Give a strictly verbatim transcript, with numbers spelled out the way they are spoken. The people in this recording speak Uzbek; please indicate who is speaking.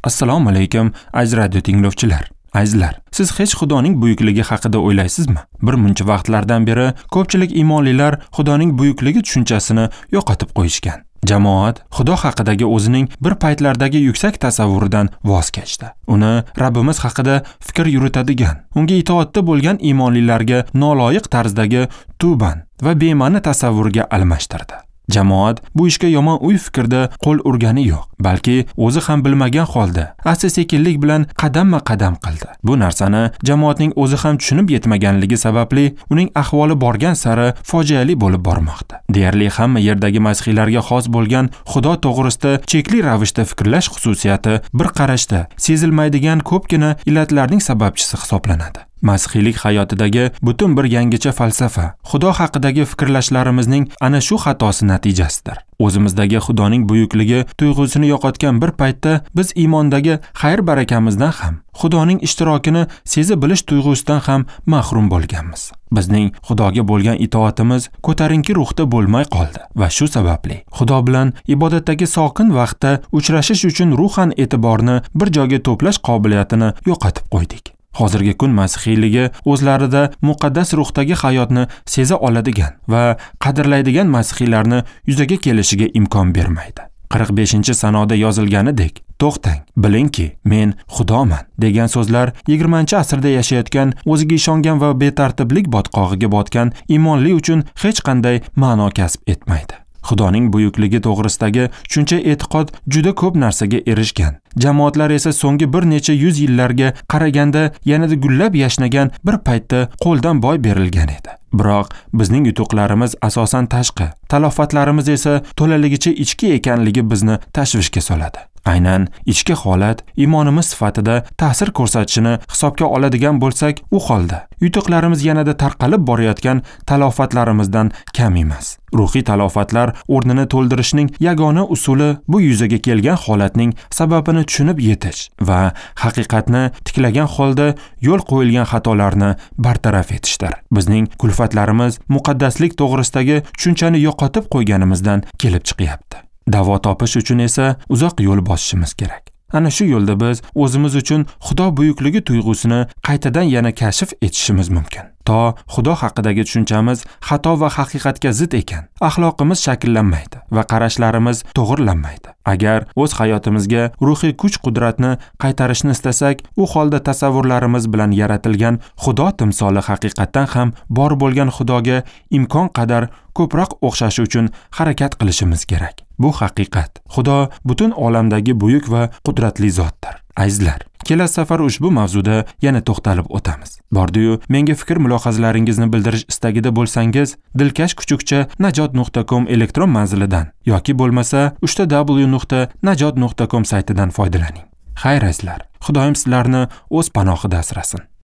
Speaker 1: Assalomu alaykum, aziz radio tinglovchilar. Azizlar, siz hech Xudoning buyukligi haqida o'ylaysizmi? Bir muncha vaqtlardan beri ko'pchilik iymonlilar Xudoning buyukligi tushunchasini yo'qotib qo'yishgan. Jamoat Xudo haqidagi o'zining bir paytlardagi yuksak tasavvuridan voz kechdi. Uni Rabbimiz haqida fikr yuritadigan, unga itoatda bo'lgan iymonlilarga noloyiq tarzdagi tuban va bema'ni tasavvurga almashtirdi. Jamoat bu ishga yomon o'y fikrda qo'l urgani yo'q, balki o'zi ham bilmagan holda asta-sekinlik bilan qadamma-qadam qildi. Bu narsani jamoatning o'zi ham tushunib yetmaganligi sababli uning ahvoli borgan sari fojiali bo'lib bormoqda. Deyarli hamma yerdagi masihiylarga xos bo'lgan Xudo to'g'risida chekli ravishda fikrlash xususiyati bir qarashda sezilmaydigan ko'pgina illatlarning sababchisi hisoblanadi. Masihiylik hayotidagi butun bir yangicha falsafa, Xudo haqidagi fikrlashlarimizning ana shu xatosi natijasidir. O'zimizdagi Xudoning buyukligi tuyg'usini yo'qotgan bir paytda biz iymondagi xayr-barakamizdan ham, Xudoning ishtirokini sezib bilish tuyg'usidan ham mahrum bo'lganmiz. Bizning Xudoga bo'lgan itoatimiz ko'tarinki ruhda bo'lmay qoldi va shu sababli Xudo bilan ibodatdagi sokin vaqtda uchrashish uchun ruhan e'tiborni bir joyga to'plash qobiliyatini yo'qotib qo'ydik. Hozirgi kun masihiyligi o'zlarida muqaddas ruhdagi hayotni seza oladigan va qadrlaydigan masihiylarni yuzaga kelishiga imkon bermaydi. qirq beshinchi sanoda yozilganidek, to'xtang, bilingki, men Xudoman degan so'zlar yigirmanchi asrda yashayotgan, o'ziga ishongan va betartiblik botqog'iga botgan iymonli uchun hech qanday ma'no kasb etmaydi. Xudoning buyukligi to'g'risidagi tushuncha e'tiqod juda ko'p narsaga erishgan. Jamoatlar esa so'nggi bir necha yuz yillarga qaraganda yanada gullab yashnagan bir paytda qo'ldan boy berilgan edi. Biroq bizning yutuqlarimiz asosan tashqi, talofatlarimiz esa to'laligicha ichki ekanligi bizni tashvishga soladi. Aynan ichki holat iymonimiz sifatida ta'sir ko'rsatishini hisobga oladigan bo'lsak, u holda yutuqlarimiz yanada tarqalib borayotgan talofatlarimizdan kam emas. Ruhiy talofatlar o'rnini to'ldirishning yagona usuli bu yuzaga kelgan holatning sababini tushunib yetish va haqiqatni tiklagan holda yo'l qo'yilgan xatolarni bartaraf etishdir. Bizning kulfatlarimiz muqaddaslik to'g'risidagi tushunchani yo'qotib qo'yganimizdan kelib chiqyapti. Davo topish uchun esa uzoq yo'l bosishimiz kerak. Ana shu yo'lda biz o'zimiz uchun Xudo buyukligi tuyg'usini qaytadan yana kashf etishimiz mumkin. To Xudo haqidagi tushunchamiz xato va haqiqatga zid ekan, axloqimiz shakllanmaydi va qarashlarimiz to'g'rilanmaydi. Agar o'z hayotimizga ruhiy kuch-qudratni qaytarishni istasak, u holda tasavvurlarimiz bilan yaratilgan Xudo timsoli haqiqatdan ham bor bo'lgan Xudoga imkon qadar ko'proq o'xshashi uchun harakat qilishimiz kerak. Bu haqiqat. Xudo butun olamdagi buyuk va qudratli zotdir. Azizlar, kelasi safar ushbu mavzuda yana to'xtalib o'tamiz. Bordi-yu, menga fikr mulohazalaringizni bildirish istagida bo'lsangiz, dilkash kuchukcha najot nuqta com elektron manzilidan yoki bo'lmasa uchta w nuqta najot nuqta com saytidan foydalaning. Xayr azizlar, Xudoyim sizlarni o'z panohida asrasin.